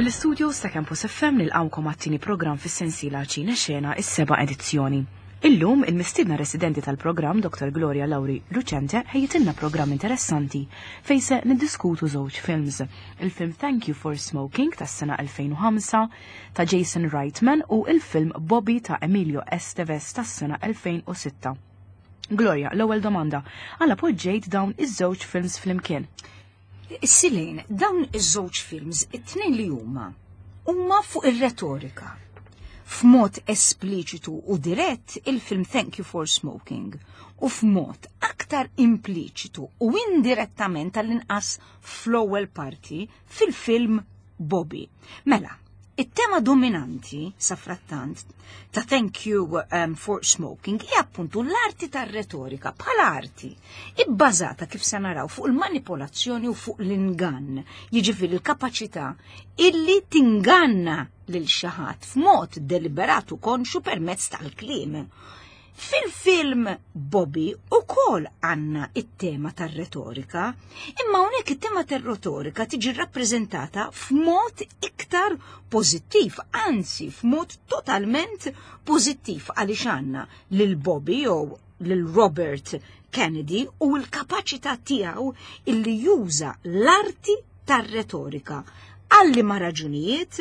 Mill-istudios ta' Campus FM nilqawkom għat-tieni programm fis-sensiela Ċine Xena is-seba' edizzjoni. Illum il-mistiedna residenti tal-programm Dr. Gloria Lauri Lucente ħejjitilna programm interessanti fejn se niddiskutu żewġ films. Il-film Thank You for Smoking tas-sena 2005 ta' Jason Reitman u il-film Bobby ta' Emilio Estevez tas-sena 2006. Gloria, l-ewwel domanda, għala poġġejt dawn iż-żewġ films flimkien? Silejn, dawn iż-żewġ films, it-tnejn li huma, huma fuq ir-retorika. F'mod espliċitu u dirett il-film Thank You for Smoking u f'mod aktar impliċitu u indirettament tal-inqas fl-ewwel parti fil-film Bobby. Mela, it-tema dominanti sa frattant ta' Thank You um, for Smoking hija appuntu l-arti tar-retorika bħala arti ibbażata kif se naraw fuq il-manipolazzjoni u fuq l-ingann, jiġifieri l-kapaċità illi tinganna lil xi ħadd f'mod deliberat u konxu permezz tal-kliem. Fil-film Bobby ukoll għandna it-tema tar-retorika, imma hawnhekk it-tema tar-retorika tiġi rappreżentata f'mod iktar pożittiv, anzi f'mod totalment pożittiv għaliex għandna lil Bobby jew lil Robert Kennedy u l-kapaċità tiegħu illi juża l-arti tar-retorika għal liema raġunijiet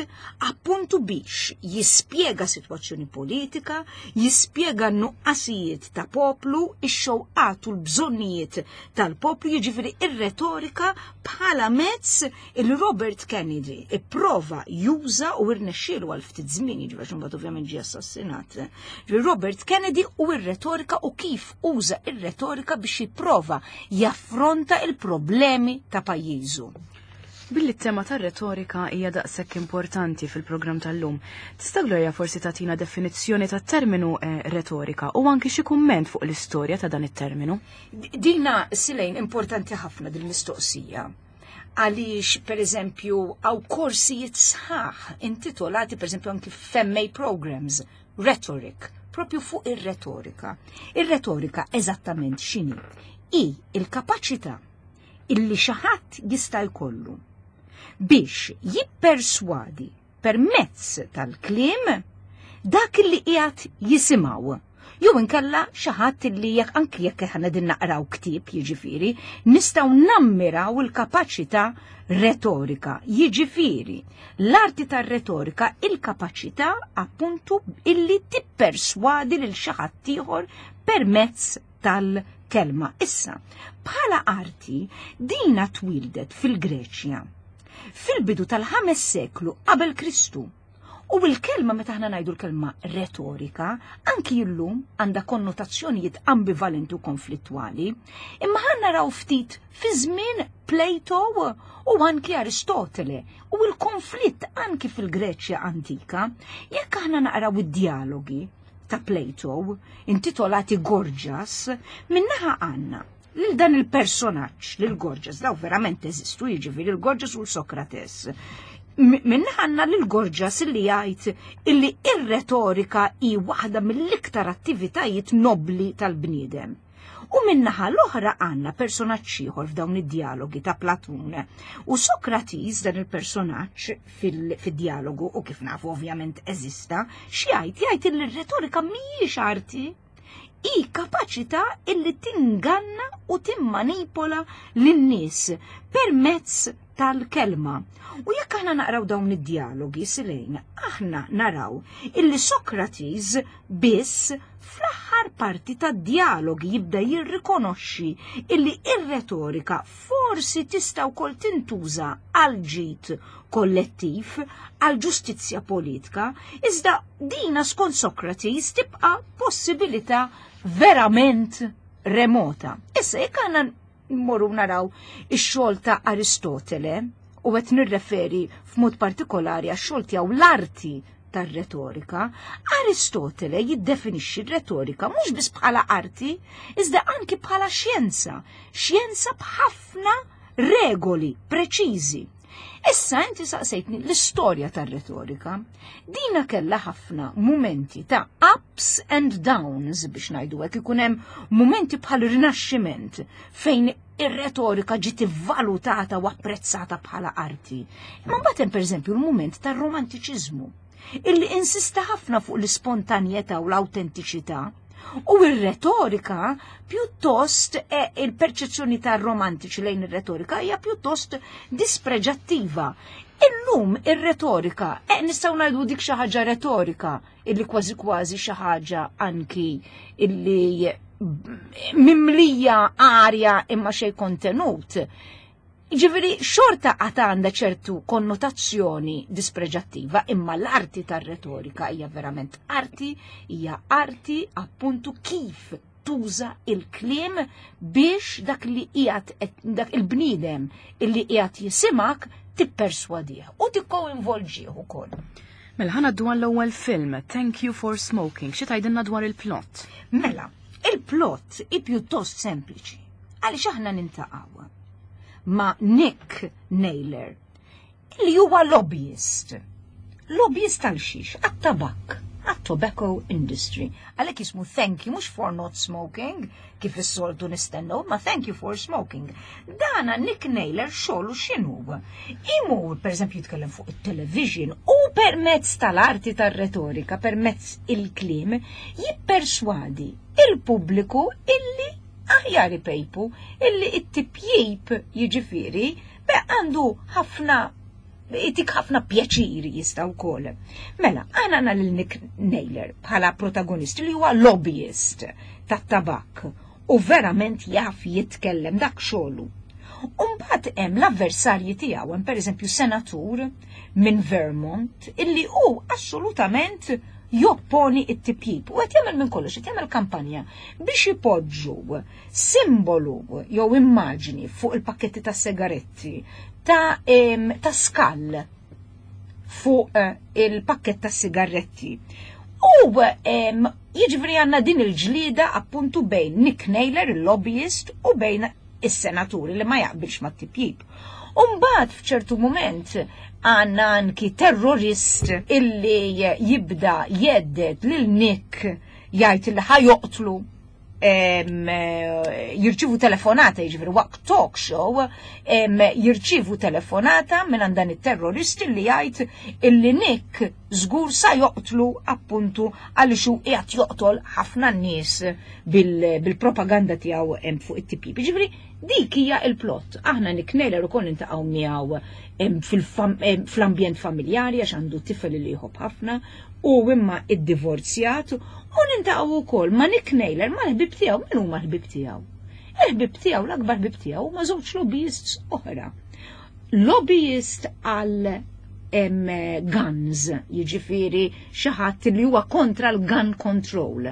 appuntu biex jispjega sitwazzjoni politika, jispjega n-nuqqasijiet ta' poplu, ix-xewqat u l-bżonnijiet tal-poplu, jiġifieri ir-retorika bħala mezz il Robert Kennedy ipprova juża u irnexxielu għal ftit żmien, jiġifieri għax imbagħad ovvjament ġie assassinat. Robert Kennedy u r-retorika u kif uża ir-retorika biex jipprova jaffronta il-problemi ta' pajjiżu. Billi t-tema tar-retorika hija daqshekk importanti fil-programm tal-lum, tista' Gloria forsi tagħtina definizzjoni tat-terminu eh, retorika u anki xi kumment fuq l-istorja ta' dan it-terminu? Dina silejn importanti ħafna din mistoqsija għaliex per eżempju għaw korsijiet sħaħ intitolati per eżempju anki f'MA programs, rhetoric, propju fuq ir-retorika. Ir-retorika eżattament x'inhi? I il-kapaċità illi xi ħadd jista' jkollu biex jipperswadi permezz tal-kliem dak li qiegħed jisimgħu. Jew inkella xi ħadd li jekk anki jekk aħna din naqraw ktieb jiġifieri, nistgħu nammiraw il-kapaċità retorika. Jiġifieri, l-arti tar-retorika il-kapaċità appuntu illi tipperswadi lil xi ħadd ieħor permezz tal-kelma. Issa, bħala arti, dina twildet fil-Greċja fil-bidu tal-ħames seklu qabel Kristu. U l-kelma meta aħna ngħidu l-kelma retorika, anki illum għandha konnotazzjonijiet ambivalenti u konflittwali, imma ħa naraw ftit fi żmien Plato u anki Aristotele u l-konflitt anki fil-Greċja antika, jekk aħna naqraw id-dialogi ta' Plato, intitolati Gorgias, minnaħa għandna lil dan il-personaġġ, lil Gorgias, daw verament eżistu, jiġifieri il-Gorgias u l-Sokrates. Minnaħa għandna lil Gorgias illi jgħid illi ir-retorika hi waħda mill-iktar attivitajiet nobli tal-bniedem. U min-naħa l-oħra għandna personaġġ ieħor f'dawn id-dialogi ta' Platun. U Sokrates dan il-personaġġ fid-dialogu u kif nafu ovvjament eżista, x'jgħid? Jgħid li r-retorika mhijiex arti, hi kapaċità illi tinganna u timmanipola lin-nies permezz tal-kelma. U jekk aħna naqraw dawn id-dialogi silejn, aħna naraw illi Sokrates biss fl-aħħar parti tad-dialogi jibda jirrikonoxxi illi ir-retorika forsi tista' wkoll tintuża għal ġid kollettiv, għal ġustizzja politika, iżda dina skont Sokrates tibqa' possibilità verament remota. Issa jekk aħna mmorru naraw ix-xogħol ta' Aristotele u qed nirreferi f'mod partikolari għax-xogħol tiegħu l-arti tar-retorika, Aristotele jiddefinixxi r-retorika mhux biss bħala arti, iżda anki bħala xjenza, xjenza b'ħafna regoli preċiżi. Issa inti saqsejtni l-istorja tar-retorika. Dina kellha ħafna mumenti ta' ups and downs biex ngħidu hekk ikun hemm mumenti bħal rinaxximent fejn Ir-retorika ġiet ivvalutata u apprezzata bħala arti. Imma mbagħad hemm pereżempju l-mument tar-romantiċiżmu illi insista ħafna fuq l-ispontanjetà u l-awtentiċità. U r-retorika pjuttost e, il-perċezzjoni tar-romantiċi lejn ir-retorika hija pjuttost dispreġattiva. Illum ir-retorika, e, nistgħu ngħidu dik xi ħaġa retorika illi kważi kważi xi ħaġa anki illi mimlija arja imma xej kontenut. Ġifieri xorta għad għandha ċertu konnotazzjoni dispreġattiva, imma l-arti tar-retorika hija verament arti, hija arti appuntu kif tuża il-kliem biex dak li qiegħed dak il-bniedem illi qiegħed jisimak tipperswadih u tikkoinvolġih ukoll. Mela ħa ngħaddu għall-ewwel film, Thank You for Smoking. Xi tgħidilna dwar il-plot? Mela, il-plot hi pjuttost sempliċi. Għaliex aħna nintaqgħu ma' Nick Naylor, li huwa lobbyist. Lobbyist għal xiex? Għat-tabak, għat-tobacco industry. Għalhekk jismu thank you mhux for not smoking, kif is-soltu nistennew, ma thank you for smoking. Dana Nick Naylor xogħlu x'inhu? Imur, pereżempju, jitkellem fuq it-television u permezz tal-arti tar-retorika, permezz il-kliem, jipperswadi il-pubbliku illi aħjar ipejpu, illi it-tipjip jiġifieri be għandu ħafna itik ħafna pjaċiri jista' wkoll. Mela, aħna għandna lil Nick Naylor bħala protagonist li huwa lobbyist tat-tabak u verament jaf jitkellem dak xogħlu. Umbagħad hemm l-avversarji tiegħu, hemm pereżempju senatur minn Vermont illi hu assolutament jopponi it-tipjip u qed jagħmel minn kollox, qed jagħmel kampanja biex ipoġġu simbolu jew immaġni fuq il-pakketti ta' sigaretti ta', ta skall fuq il-pakket ta' sigaretti. U jiġifieri għandna din il-ġlida appuntu bejn Nick Naylor, il-lobbyist, u bejn is-senaturi li ma jaqbilx ma' tipjip. Umbagħad f'ċertu moment għandna anki terrorist illi jibda jhedded lil Nick, jgħid li ħa joqtlu, jirċivu telefonata, jiġifieri waqt talk show, jirċivu telefonata minn dan it-terrorist li jgħid illi Nick żgur sa joqtlu appuntu għaliex hu qiegħed joqtol ħafna nies bil-propaganda tiegħu fuq it-tipjip. Jiġifieri dik hija il-plot. Aħna Nick Naylor ukoll niltaqgħu miegħu fl-ambjent familjari għax għandu tifel li jħobb ħafna u imma iddivorzjat u niltaqgħu wkoll ma' Nick Naylor mal-ħbib tiegħu. Min huma l-ħbib tiegħu? Il-ħbib tiegħu, l-akbar ħbib tiegħu huma żewġ lobbyists oħra. Lobbyist għal guns, jiġifieri xi ħadd li huwa kontra l-gun control.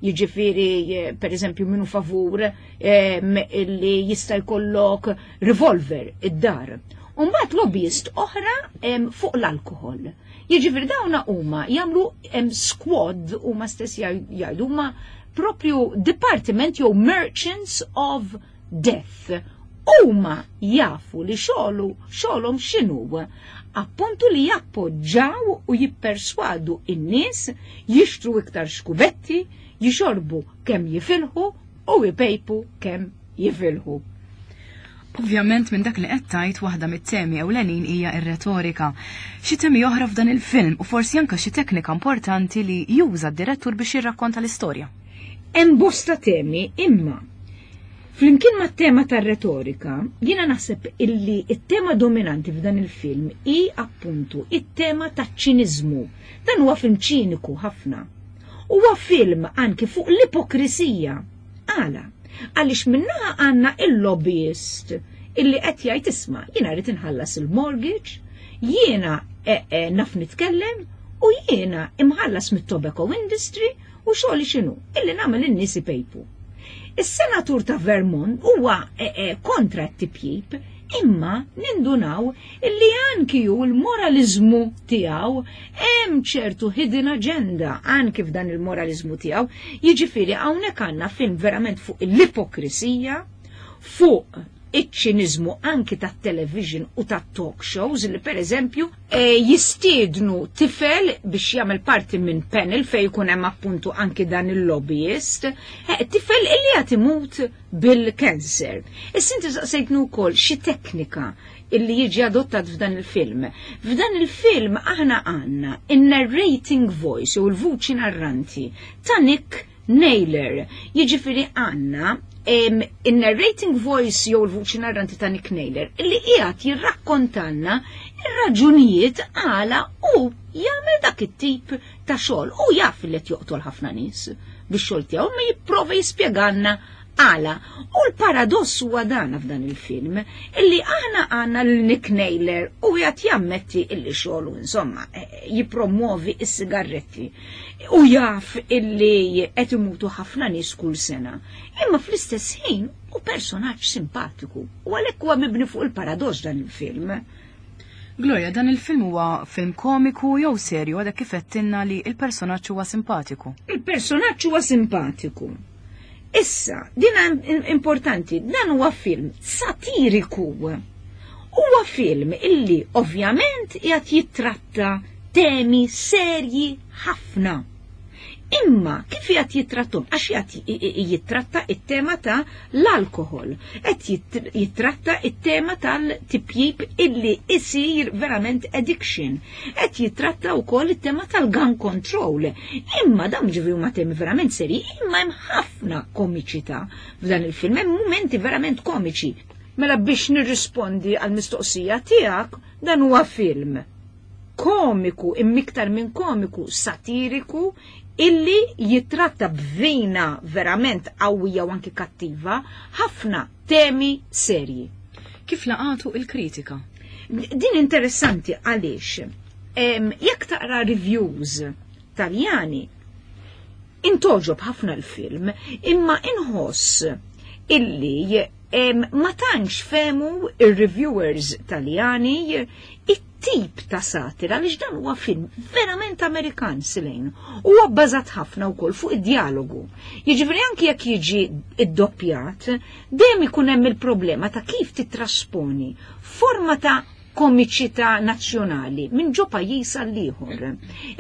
Jiġifieri per eżempju minnu favur li jista' jkollok revolver id-dar. Umbagħad lobbyist oħra fuq l-alkohol. Jiġifieri dawna huma jagħmlu squad, huma stess jgħidu huma propju department jew merchants of death. Huma jafu li xogħlu xogħolhom x'inhu. Appuntu li jappoġġaw u jipperswadu in-nies jixtru iktar xkubetti, jixorbu kemm jifilħu u jpejpu kemm jifilħu. Ovvjament minn dak li qed tgħid waħda mit-temi ewlenin hija r-retorika. Xi temi oħra f'dan il-film u forsi anke xi teknika importanti li juża d-direttur biex jirrakkonta l-istorja. Hemm bosta temi, imma flimkien mat-tema tar-retorika, jiena naħseb illi it-tema dominanti f'dan il-film hi appuntu it-tema taċ-ċiniżmu. Dan huwa film ċiniku ħafna. Huwa film anki fuq l-ipokrisija. Għala? Għaliex minnaħa għandna il-lobbyist illi qed jgħid isma' jiena rrid inħallas il-mortgage, jiena naf nitkellem u jiena imħallas mit-tobacco industry u xogħli x'inhu? Illi nagħmel in-nies ipejpu. Is-senatur ta' Vermont huwa kontra t-tipjip, imma nindunaw illi anki hu l-moralizmu tiegħu hemm ċertu hidden agenda anki f'dan il-moralizmu tiegħu. Jiġifieri hawnhekk għandna film verament fuq l-ipokrisija, fuq Iċ-ċiniżmu anki tat-television u tat-talk shows li pereżempju eh, jistiednu tifel biex jagħmel parti minn panel fejn jkun hemm appuntu anki dan il-lobbyist, eh, tifel illi qed imut bil-cancer. Issa inti saqsejtnu wkoll xi teknika illi jiġi adottat f'dan il-film. F'dan il-film aħna għandna in-narrating voice u l-vuċi narranti ta' Nick Naylor. Jiġifieri għandna in-narrating voice jew il-vuċi narranti ta' Nick Naylor illi qiegħed jirrakkontanna ir-raġunijiet għala u jagħmel dak it-tip ta' xogħol u jaf li qed joqtol ħafna nies bix-xogħol tiegħu ma jipprova jispjegalna għala. U l-paradoss huwa dan f'dan il-film illi aħna għandna lil Nick Naylor u qiegħed jammetti illi xogħlu insomma eh, jippromuovi s-sigarretti u jaf illi qed imutu ħafna nies kull sena. Imma fl-istess ħin u personaġġ simpatiku u għalhekk huwa mibni fuq il-paradoss dan il-film. Gloria, dan il-film huwa film komiku jew serju għadek kif għedtilna li il-personaġġ huwa simpatiku? Il-personaġġ huwa simpatiku. Issa, din importanti, dan huwa film satiriku. Huwa film illi ovvjament qiegħed jittratta temi serji ħafna. Imma kif qiegħed jittrattom? Għax qiegħed jittratta it-tema ta' l-alkohol, qed jittratta it-tema tal-tipjip illi isir verament addiction, qed jittratta wkoll it-tema tal-gun control. Imma dawn ġifieri huma temi verament serji, imma hemm ħafna komiċità f'dan il-film, hemm mumenti verament komiċi. Mela biex nirrispondi għal-mistoqsija tiegħek, dan huwa film komiku, immiktar minn komiku, satiriku, illi jitratta b'vina verament qawwija u anki kattiva ħafna temi serji. Kif laqatu il-kritika? Din interessanti għaliex jekk taqra reviews Taljani intogħġob ħafna l-film, imma inħoss illi ma tantx fehmu ir-reviewers Taljani it-tip ta' satira għaliex dan huwa film verament Amerikan silejn. Huwa bbażat ħafna wkoll fuq id-dialogu. Jiġifieri anki jekk jiġi iddoppjat, dejjem ikun hemm il-problema ta' kif titrasponi forma ta' komiċità nazzjonali minn ġo pajjiż għal ieħor.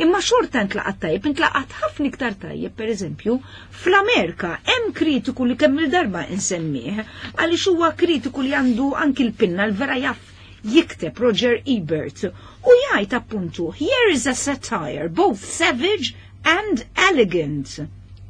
Imma xorta ntlaqat tajjeb, intlaqat ħafna iktar tajjeb, pereżempju, fl-Amerika hemm kritiku li kemm il-darba insemmih, għaliex huwa kritiku li għandu anki l-pinna l-vera jaf jikteb Roger Ebert u jgħid appuntu here is a satire both savage and elegant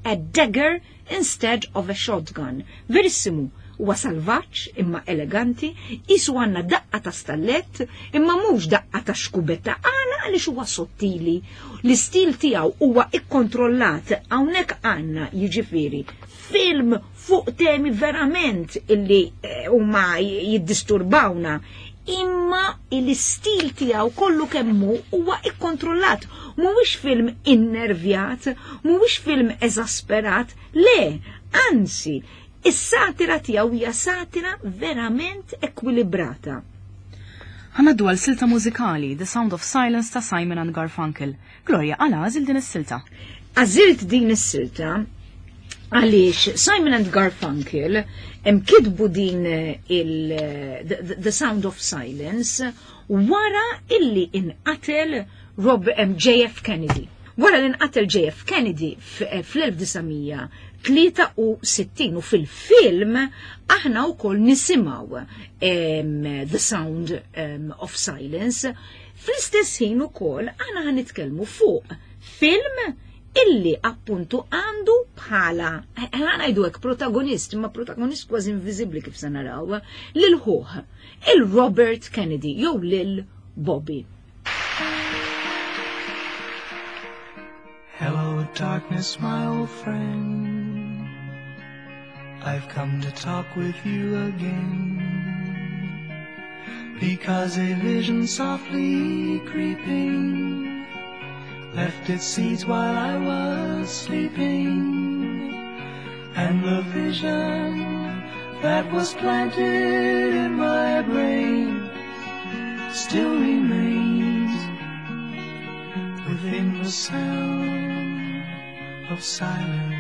a dagger instead of a shotgun. Verissimu, huwa salvaġġ imma eleganti, qisu għandna daqqa ta' stallett imma mhux daqqa ta' xkubetta għala għaliex huwa sottili. L-istil tiegħu huwa ikkontrollat hawnhekk għandna jiġifieri film fuq temi verament illi eh, huma jiddisturbawna imma l-istil tiegħu kollu kemmu huwa ikkontrollat. Mhuwiex film innervjat, mhuwiex film eżasperat, le, anzi, is-satira tiegħu hija satira verament ekwilibrata. Ħa ngħaddu għal silta mużikali, The Sound of Silence ta' Simon and Garfunkel. Gloria, għala għażilt din is-silta? Għażilt din is-silta għaliex Simon and Garfunkel hemm kitbu din il the, the Sound of Silence wara illi inqatel Rob JF Kennedy. Wara li nqatel JF Kennedy fl-1963 u fil-film aħna wkoll nisimgħu The Sound of Silence. Fl-istess ħin ukoll aħna ħa nitkellmu fuq film illi appuntu għandu bħala, ħa ngħidu hekk protagonist, imma protagonist kważi inviżibbli kif se naraw, lil ħuh, il-Robert Kennedy jew lil Bobby. Hello, darkness, my old friend. I've come to talk with you again. Because a vision softly creeping left its seeds while I was sleeping. And the vision that was planted in my brain still remains within the sound of silence.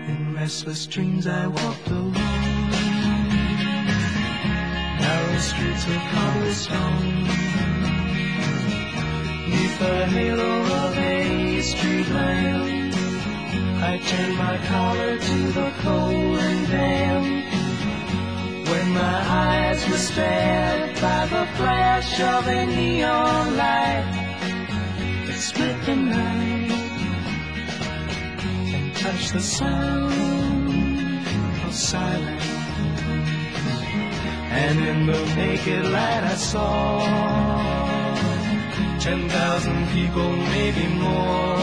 In restless dreams I walked alone, the streets of cobblestone. Neath the halo of a street lamp, I turned my collar to the cold and damp. When my eyes were stabbed by the flash of a neon light that split the night and touched the sound of silence. And in the naked light I saw 10,000 people, maybe more.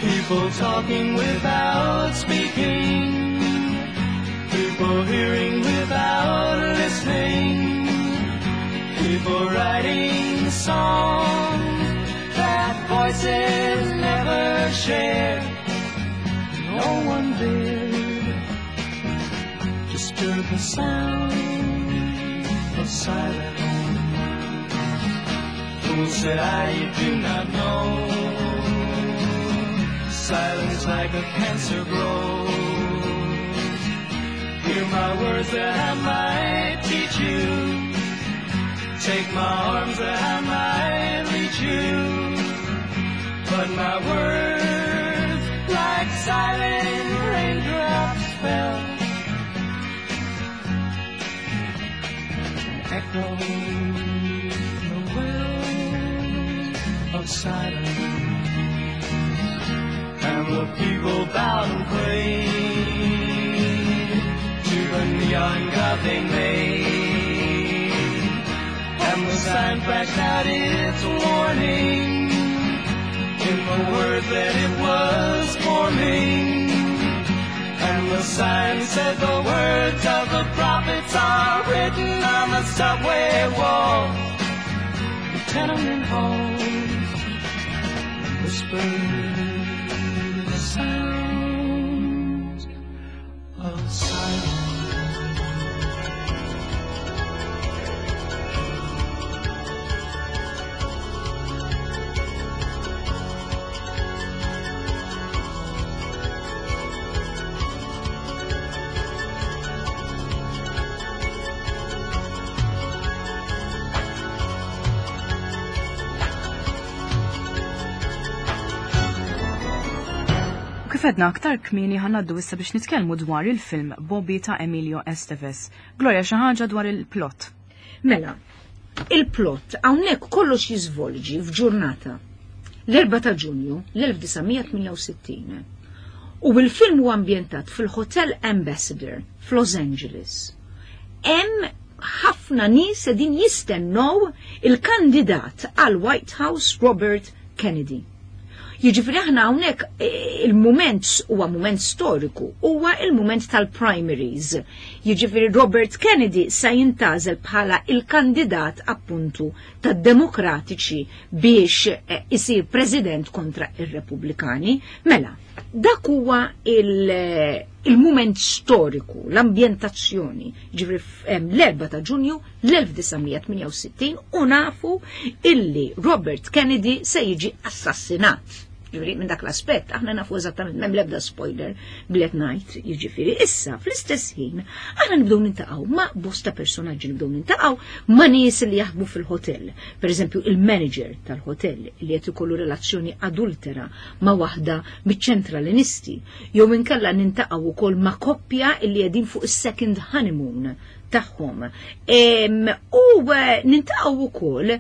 People talking without speaking, people hearing without listening, people writing songs that voices never share. No one dared disturb the sound of silence. Fool said I, you do not know. Silence like a cancer grows. Hear my words that I might teach you. Take my arms that I might reach you. But my words, like silent raindrops, fell and echoed the wells of silence. And the people bowed and prayed to the neon god they made. And the sign flashed out its warning in the words that it was forming. And the sign said the words of the prophets are written on the subway walls, the tenement halls, whispered the sounds of silence. U kif għedna aktar kmieni ħa ngħaddu issa biex nitkellmu dwar il-film Bobby ta' Emilio Estevez. Gloria, xi ħaġa dwar il-plot. Mela, il-plot hawnhekk kollox jiżvolġi f'ġurnata. L-4 ta' Ġunju l-1968. U il-film huwa ambjentat fil-Hotel Ambassador f'Los Angeles. Hemm ħafna nies qegħdin jistennew il-kandidat għal White House Robert Kennedy. Jiġifieri aħna hawnhekk il-mument huwa mument storiku, huwa il-mument tal-primaries. Jiġifieri Robert Kennedy sa jintgħażel bħala il-kandidat appuntu tad-Demokratiċi biex isir president kontra ir-Repubblikani. Mela, dak huwa il-mument storiku, l-ambjentazzjoni, ġifieri l-4 ta' Ġunju l-1968 u nafu illi Robert Kennedy se jiġi assassinat. Ġifieri minn dak l-aspett aħna nafu eżattament, m'hemm l-ebda spoiler blet ngħid, jiġifieri issa fl-istess ħin aħna nibdew nintaqgħu ma' bosta personaġġi, nibdew nintaqgħu ma' nies li jaħdmu fil-hotel. Per eżempju il-manager tal-hotel li qed ikollu relazzjoni adultera ma' waħda miċ-ċentralinisti, jew inkella nintaqgħu wkoll ma' koppja li qegħdin fuq is-second honeymoon tagħhom. U nintaqgħu wkoll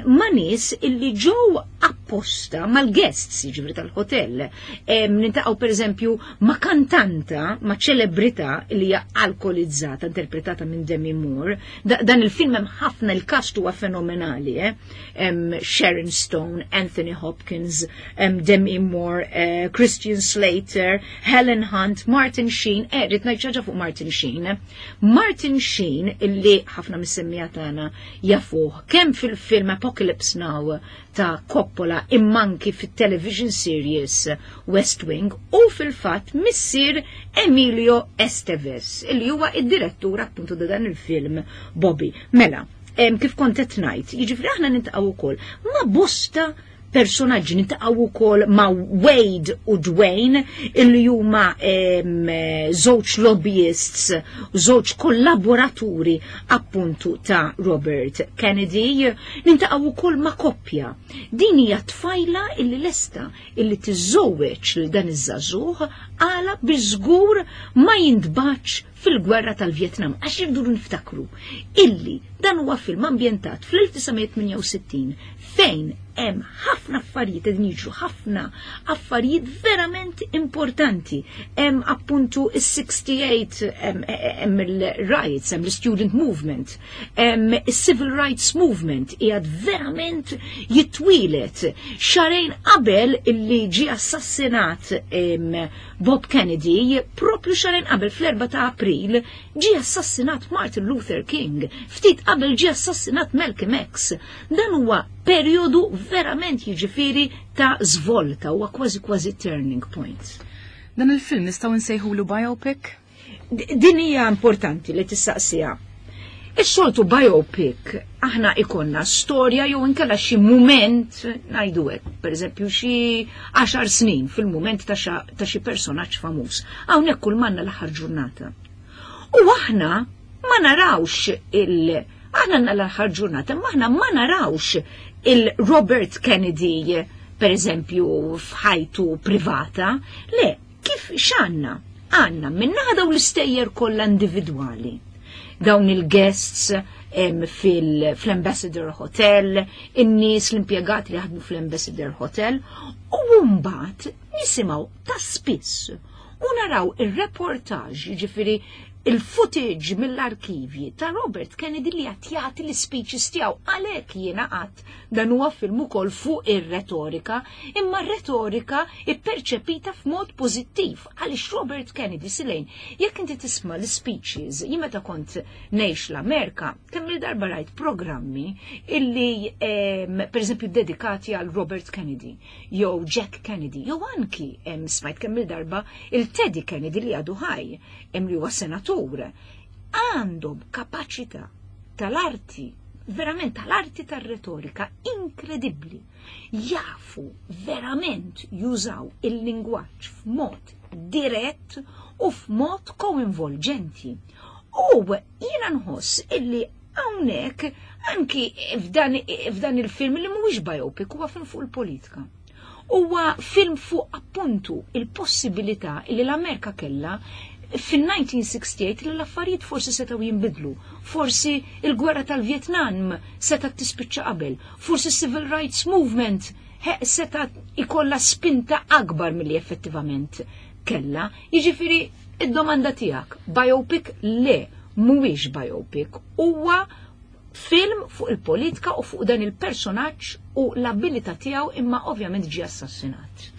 ma' nies illi ġew apposta mal-guests, jiġifieri tal-hotel. Nintaqgħu pereżempju ma' kantanta, ma' ċelebrità li hija alkolizzata, interpretata minn Demi Moore. Dan il-film hemm ħafna, il-cast huwa fenomenali, eh? Sharon Stone, Anthony Hopkins, Demi Moore, Christian Slater, Helen Hunt, Martin Sheen. Rrid ngħid xi ħaġa fuq Martin Sheen. Martin Sheen illi ħafna mis-semmija tagħna jafuh kemm fil-film Apocalypse Now ta' Coppola immanki fit-television series West Wing, u fil-fatt missier Emilio Estevez illi huwa id-direttur appuntu ta' dan il-film Bobby. Mela, kif kont qed ngħid, jiġifieri aħna nintaqgħu wkoll ma' bosta personaġġi, niltaqgħu wkoll ma' Wade u Dwayne illi huma żewġ lobbyists, żewġ kollaboraturi appuntu ta' Robert Kennedy. Niltaqgħu wkoll ma' koppja. Din hija tfajla illi lesta illi tiżżewweġ lil dan iż-żagħżugħ għala biex żgur ma jintbagħatx fil-gwerra tal-Vjetnam, għax irridu niftakru illi dan huwa film ambjentat fl-1968 fejn hemm ħafna affarijiet qegħdin jiġru, ħafna affarijiet verament importanti. Hemm appuntu is-68, hemm il-riots, hemm l-student movement, hemm is-civil rights movement qiegħed verament jitwieled. Xahrejn qabel illi ġie assassinat Bob Kennedy, propju xahrejn qabel fl-4 ta' April, ġie assassinat Martin Luther King, ftit qabel ġie assassinat Malcolm X. Dan huwa perjodu verament jiġifieri ta' żvolta, huwa kważi kważi turning point. Dan il-film nistgħu nsejħulu biopic? Din hija importanti li tistaqsiha. Is-soltu biopic aħna ikonna storja jew inkella xi mument ngħidu hekk, pereżempju xi 10 snin fil-mument ta' xi personaġġ famuż. Hawnhekk kull manna l-aħħar ġurnata. U aħna ma narawx il- aħna għandna l-aħħar ġurnata, ma aħna ma narawx il-Robert Kennedy, per eżempju, f'ħajtu privata. Le, kif x'għandna? Għandna minnaħa dawn l-istejjer kollha individwali. Dawn il-guests fil-Ambassador Hotel, in-nies l-impjegati li jaħdmu fl-Ambassador Hotel, u mbagħad nisimgħu ta' spiss u naraw ir-reportaġġ, jiġifieri il-footage mill-arkivji ta' Robert Kennedy li qed jagħti l-speeches tiegħu. Għalhekk jiena qatt dan huwa film ukoll fuq ir-retorika, imma r-retorika ipperċepita f'mod pożittiv għaliex Robert Kennedy silejn, jekk inti tisma' l-speeches, jien meta kont ngħix l-Amerika, kemm il-darba rajt programmi illi pereżempju dedikati għal Robert Kennedy, jew Jack Kennedy, jew anki smajt kemm il-darba il-Teddy Kennedy li għadu ħaj, li huwa senatur, għandhom kapaċità tal-arti, verament tal-arti tar-retorika inkredibbli. Jafu verament jużaw il-lingwaġġ f'mod dirett u f'mod koinvolġenti. U jiena nħoss illi hawnhekk anki f'dan il-film li mhuwiex biopic, huwa film fuq il-politika. Huwa film fuq appuntu il-possibilità li l-Amerika kellha fin-1968 li l-affarijiet forsi setgħu jinbidlu, forsi il-gwerra tal-Vietnam setgħet tispiċċa qabel, forsi civil rights movement setgħet ikollha spinta akbar milli effettivament kella. Jiġifieri id-domanda tiegħek, biopic le, mhuwiex biopic, huwa film fuq il-politika u fuq dan il-personaġġ u l-abilità tiegħu, imma ovvjament ġie assassinat.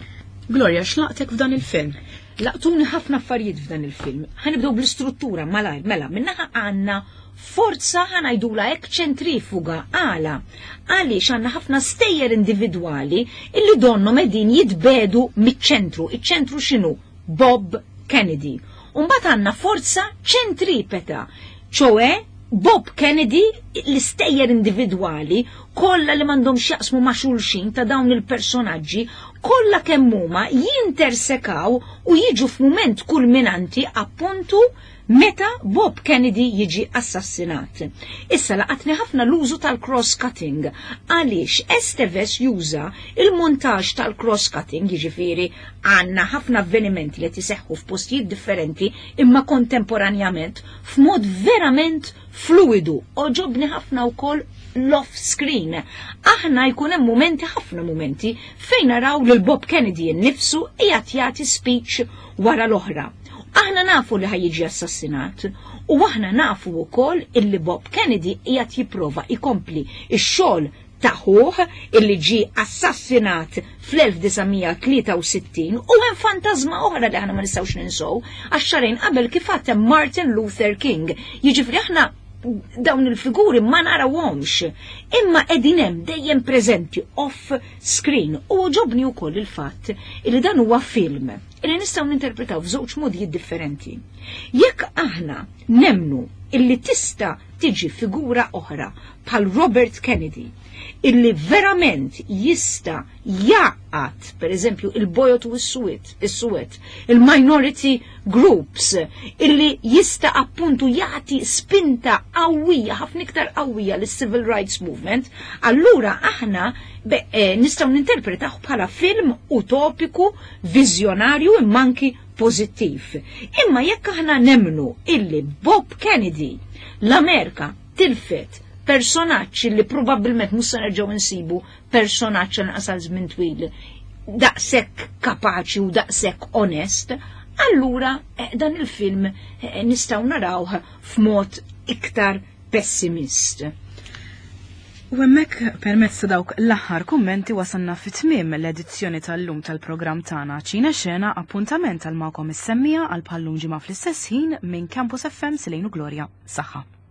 Gloria, x'laqtek f'dan il-film? Laqtuni ħafna affarijiet f'dan il-film. Ħanibdew bl-istruttura malajr, mela, minnaħa għandna forza ħanajdula hekk ċentrifuga għala. Għaliex għandna ħafna stejjer individwali illi donhom qegħdin jitbedu miċ-ċentru. Iċ-ċentru x'inhu? Bob Kennedy. U mbagħad għandna forza ċentripeta, ċoe Bob Kennedy, l-istejjer individwali kollha li m'għandhomx jaqsmu ma' xulxin ta' dawn il-personaġġi, kollha kemm huma jintersekaw u jiġu f'mument kulminanti appuntu meta Bob Kennedy jiġi assassinat. Issa laqatni ħafna l-użu tal-cross-cutting, għaliex Esteves juża il-montaġġ tal-cross-cutting, jiġifieri għandna ħafna avvenimenti li tiseħħu f'postijiet differenti imma kontemporanjament f'mod verament fluidu. Oġobni ħafna wkoll l-off-screen. Aħna jkun hemm mumenti, ħafna mumenti, fejn naraw lil Bob Kennedy nnifsu qiegħed jagħti speech wara l-oħra. Aħna nafu li ħajjiġi assassinat u aħna nafu wkoll illi Bob Kennedy qiegħed jipprova jkompli x-xogħol ta' ħuh illi ġie assassinat fl-1963, u hemm fantasma oħra li aħna ma nistgħux ninsew, għax xahrejn qabel kif għad hemm Martin Luther King. Jiġifieri aħna dawn il-figuri ma narawhomx, imma qegħdin hemm dejjem preżenti off screen. U ġobni wkoll il-fatt li dan huwa film illi nistgħu ninterpretaw f'żewġ modijiet differenti. Jekk aħna nemnu illi tista' tiġi figura oħra bħal Robert Kennedy, illi verament jista' jgħaqqad, per eżempju, il-bojot u s-suwed, is-suwed, il-minority groups, illi jista' appuntu jagħti spinta qawwija, ħafna iktar qawwija lis-civil rights movement, allura aħna nistgħu ninterpretaw bħala film utopiku, viżjonarju imma anki pożittiv. Imma jekk aħna nemnu illi Bob Kennedy l-Amerika tilfet personaġġ li probabbilment mhux se nerġgħu nsibu personaġġ anqas għal żmien twil daqshekk kapaċi u daqshekk onest, allura dan il-film nistgħu narawh f'mod iktar pessimist. U hemmhekk permezz ta' dawk l-aħħar kummenti wasalna fi tmiem l-edizzjoni tal-lum tal-programm tagħna Ċina Xena, appuntament għal magħkom is-semmija għal bħallum ġimgħa fl-istess ħin minn Campus FM Silejnu Gloria. Saħħa.